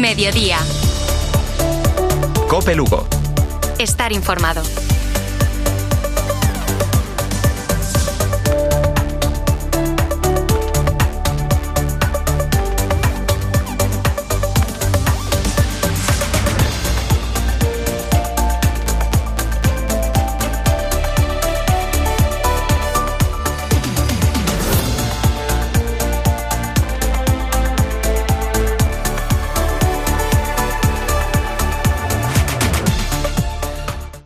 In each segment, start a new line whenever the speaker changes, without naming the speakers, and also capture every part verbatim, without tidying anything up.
Mediodía.
COPE Lugo.
Estar informado.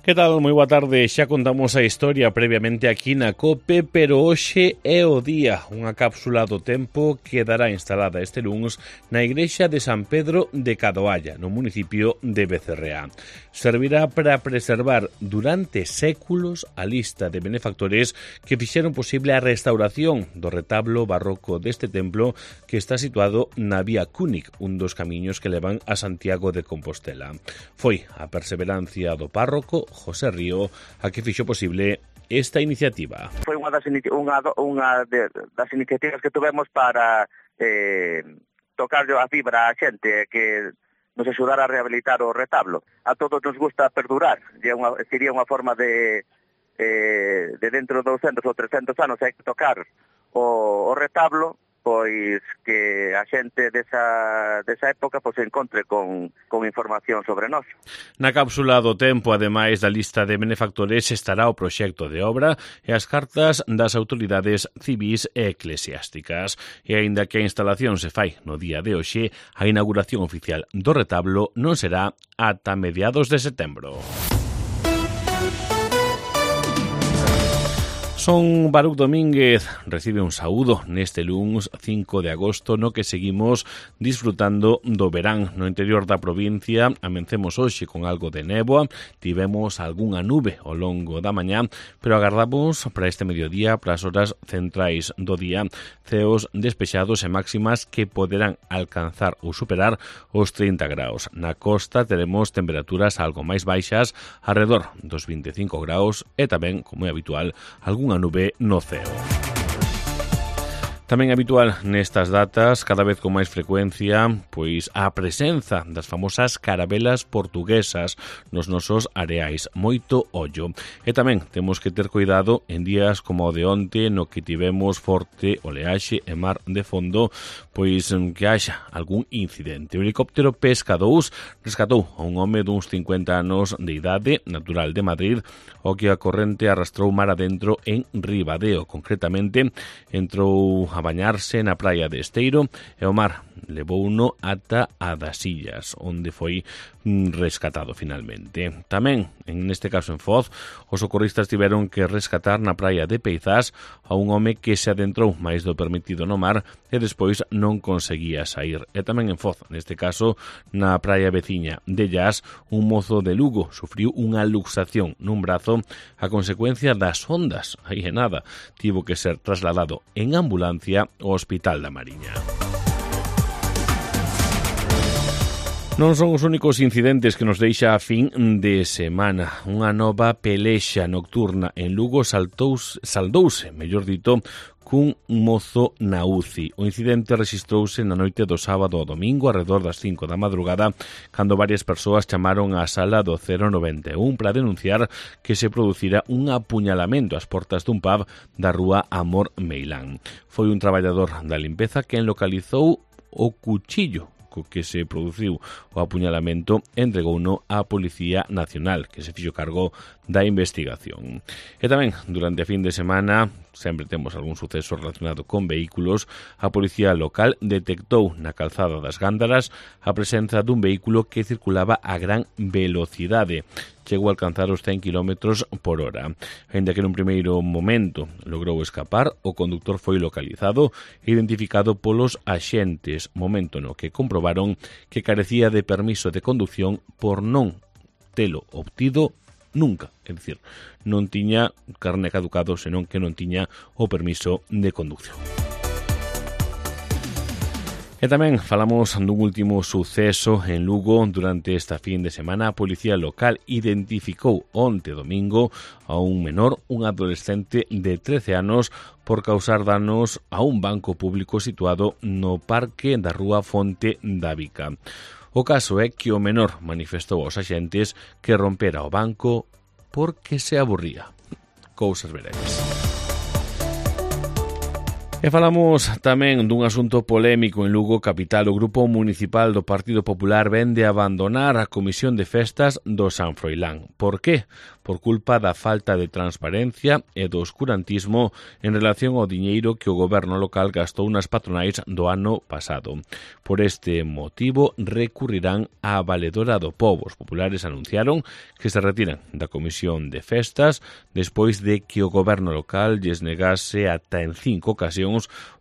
Que tal? Moi boa tarde. Xa contamos a historia previamente aquí na COPE, pero hoxe é o día. Unha cápsula do tempo quedará instalada este luns na igrexa de San Pedro de Cadoalla, no municipio de Becerreá. Servirá para preservar durante séculos a lista de benefactores que fixeron posible a restauración do retablo barroco deste templo que está situado na Vía Cúnic, un dos camiños que levan a Santiago de Compostela. Foi a perseverancia do párroco José Río a que fixo posible esta iniciativa.
Foi unha das, unha, unha de, das iniciativas que tuvemos para eh, tocar a fibra a xente que nos axudara a rehabilitar o retablo. A todos nos gusta perdurar, e unha, sería unha forma de, eh, de dentro de doscientos ou trescentos anos hai que tocar o, o retablo, pois que a xente desa, desa época pois encontre con, con información sobre nós.
Na cápsula do tempo, ademais da lista de benefactores, estará o proxecto de obra e as cartas das autoridades civís e eclesiásticas. E aínda que a instalación se fai no día de hoxe, a inauguración oficial do retablo non será ata mediados de setembro. Son Baruch Domínguez, recibe un saúdo neste luns cinco de agosto no que seguimos disfrutando do verán no interior da provincia. Amencemos hoxe con algo de néboa, tivemos algunha nube ao longo da mañá, pero agardamos para este mediodía, para as horas centrais do día, ceos despexados e máximas que poderán alcanzar ou superar os trinta graus. Na costa teremos temperaturas algo máis baixas, alrededor dos vinte e cinco graus e tamén, como é habitual, algún unha nube no ceo. Tamén habitual nestas datas, cada vez con máis frecuencia, pois a presenza das famosas carabelas portuguesas nos nosos areais. Moito ollo. E tamén temos que ter cuidado en días como o de onte, no que tivemos forte oleaxe e mar de fondo, pois que haxa algún incidente. O helicóptero Pesca dous rescatou a un home duns cincuenta anos de idade, natural de Madrid, o que a corrente arrastrou mar adentro en Ribadeo. Concretamente, entrou a bañarse na praia de Esteiro e o mar levou uno ata a das Illas, onde foi rescatado finalmente. Tamén, en este caso en Foz, os socorristas tiveron que rescatar na praia de Peizás a un home que se adentrou máis do permitido no mar e despois non conseguía sair. E tamén en Foz, neste caso, na praia veciña de Llas, un mozo de Lugo sufriu unha luxación nun brazo a consecuencia das ondas. Aí é nada, tivo que ser trasladado en ambulancia ao Hospital da Mariña. Non son os únicos incidentes que nos deixa a fin de semana. Unha nova pelexa nocturna en Lugo saltouse, saldouse, mellor dito, cun mozo na U C I. O incidente rexistrouse na noite do sábado ao domingo, arredor das cinco da madrugada, cando varias persoas chamaron á sala do cero noventa e un para denunciar que se producira un apuñalamento ás portas dun pub da rúa Amor Meilán. Foi un traballador da limpeza quen localizou o cuchillo co que se produciu o apuñalamento, entregouno á Policía Nacional, que se fixo cargo da investigación. E tamén, durante a fin de semana, sempre temos algún suceso relacionado con vehículos, a Policía Local detectou na calzada das Gándaras a presenza dun vehículo que circulaba a gran velocidade. Chegou a alcanzar os cen kilómetros por hora. Ainda que nun primeiro momento logrou escapar, o conductor foi localizado e identificado polos axentes, momento no que comprobaron que carecía de permiso de conducción por non telo obtido nunca. É dicir, non tiña carné caducado, senón que non tiña o permiso de conducción. E tamén falamos dun último suceso en Lugo durante esta fin de semana. A Policía Local identificou onte domingo a un menor, un adolescente de trece anos, por causar danos a un banco público situado no parque da rúa Fonte da Vica. O caso é que o menor manifestou aos axentes que rompera o banco porque se aburría. Cousas veredes. E falamos tamén dun asunto polémico en Lugo capital. O Grupo Municipal do Partido Popular vende a abandonar a Comisión de Festas do San Froilán. Por qué? Por culpa da falta de transparencia e do oscurantismo en relación ao diñeiro que o goberno local gastou nas patronais do ano pasado. Por este motivo recurrirán á Valedora do Pobo. Os populares anunciaron que se retiran da Comisión de Festas despois de que o goberno local lles negase ata en cinco ocasións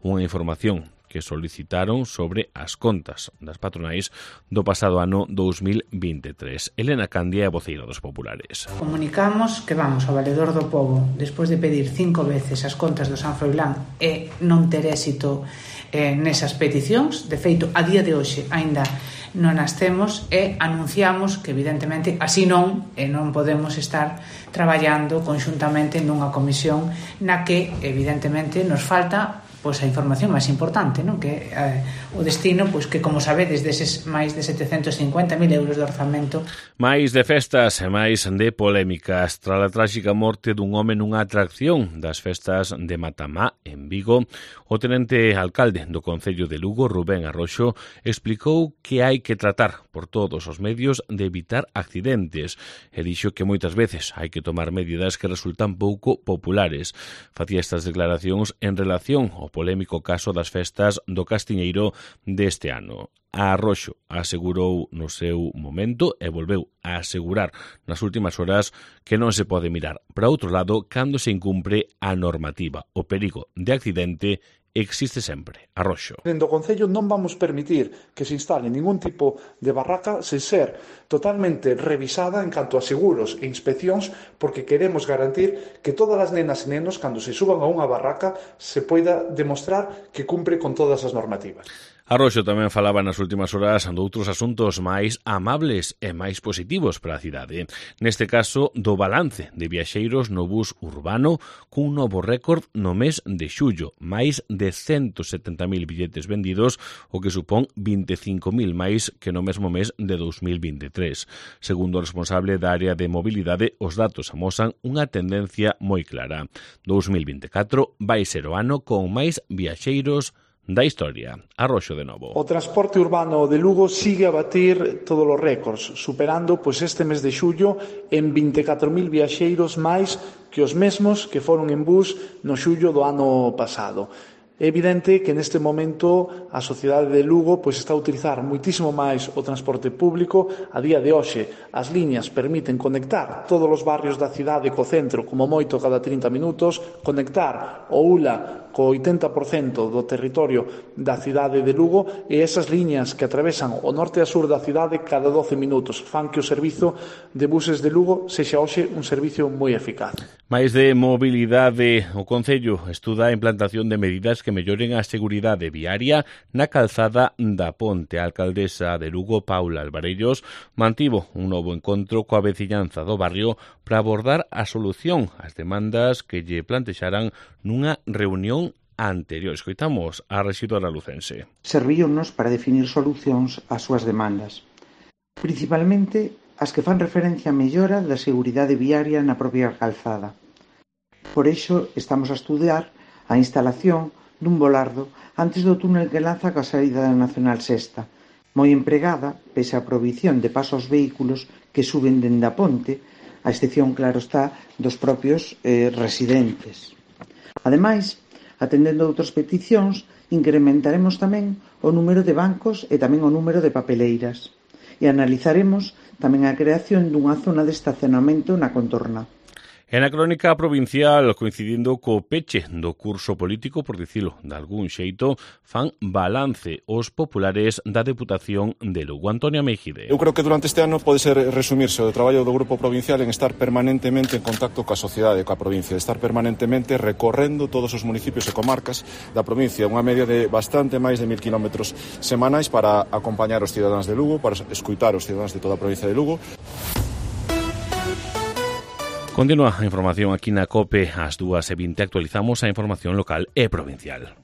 unha información que solicitaron sobre as contas das patronais do pasado ano dous mil vinte e tres. Elena Candia é voceira dos populares.
Comunicamos que vamos ao Valedor do Pobo despois de pedir cinco veces as contas do San Froilán e non ter éxito eh, nesas peticións. De feito, a día de hoxe aínda non as temos e anunciamos que evidentemente así non e non podemos estar traballando conxuntamente nunha comisión na que evidentemente nos falta pois a información máis importante, non? Que eh, o destino, pois que como sabedes, deses máis de setecentos cincuenta mil euros de orzamento.
Máis de festas e máis de polémicas. Tras a tráxica morte dun home nunha atracción das festas de Matamá, en Vigo, o tenente alcalde do Concello de Lugo, Rubén Arroxo, explicou que hai que tratar por todos os medios de evitar accidentes e dixo que moitas veces hai que tomar medidas que resultan pouco populares. Facía estas declaracións en relación ao polémico caso das festas do Castiñeiro deste ano. A Arroxo asegurou no seu momento e volveu a asegurar nas últimas horas que non se pode mirar para outro lado cando se incumpre a normativa. O perigo de accidente existe sempre. Arroxo.
Dentro do Concello non vamos permitir que se instale ningún tipo de barraca sen ser totalmente revisada en canto a seguros e inspeccións, porque queremos garantir que todas as nenas e nenos, cando se suban a unha barraca, se poida demostrar que cumpre con todas as normativas.
Arroxo tamén falaba nas últimas horas doutros asuntos máis amables e máis positivos para a cidade. Neste caso, do balance de viaxeiros no bus urbano cun novo récord no mes de xullo. Máis de ciento setenta mil billetes vendidos, o que supón vinte e cinco mil máis que no mesmo mes de dous mil vinte e tres. Segundo o responsable da área de mobilidade, os datos amosan unha tendencia moi clara. dous mil vinte e catro vai ser o ano con máis viaxeiros da historia. Arroxo de novo.
O transporte urbano de Lugo sigue a batir todos os récords, superando pois este mes de xullo en vinte e catro mil viaxeiros máis que os mesmos que foron en bus no xullo do ano pasado. É evidente que neste momento a sociedade de Lugo pois está a utilizar moitísimo máis o transporte público. A día de hoxe as liñas permiten conectar todos os barrios da cidade co centro como moito cada trinta minutos, conectar o U L A co oitenta por cento do territorio da cidade de Lugo e esas liñas que atravesan o norte e a sur da cidade cada doce minutos fan que o servizo de buses de Lugo sexa hoxe un servicio moi eficaz.
Máis de mobilidade, o Concello estuda a implantación de medidas que melloren a seguridade viaria na calzada da Ponte. A alcaldesa de Lugo, Paula Alvarellos, mantivo un novo encontro coa veciñanza do barrio para abordar a solución ás demandas que lle plantexaran nunha reunión anterior. Escoitamos a rexidora lucense.
Servíonos para definir solucións ás súas demandas, principalmente as que fan referencia a mellora da seguridade viaria na propia calzada. Por iso estamos a estudiar a instalación dun volardo antes do túnel que lanza coa saída da Nacional Sexta, moi empregada, pese á prohibición de paso aos vehículos que suben dende a ponte, a excepción, claro está, dos propios eh, residentes. Ademais, atendendo a outras peticións, incrementaremos tamén o número de bancos e tamén o número de papeleiras. E analizaremos tamén a creación dunha zona de estacionamento na contorna.
En a crónica provincial, coincidindo co peche do curso político, por dicilo de algún xeito, fan balance os populares da Deputación de Lugo. Antonio Mejide.
Eu creo que durante este ano pode ser resumirse o traballo do grupo provincial en estar permanentemente en contacto coa sociedade, coa provincia, de estar permanentemente recorrendo todos os municipios e comarcas da provincia, unha media de bastante máis de mil kilómetros semanais para acompañar os cidadáns de Lugo, para escutar os cidadáns de toda a provincia de Lugo.
Continúa a información aquí na COPE ás dúas e vinte. Actualizamos a información local e provincial.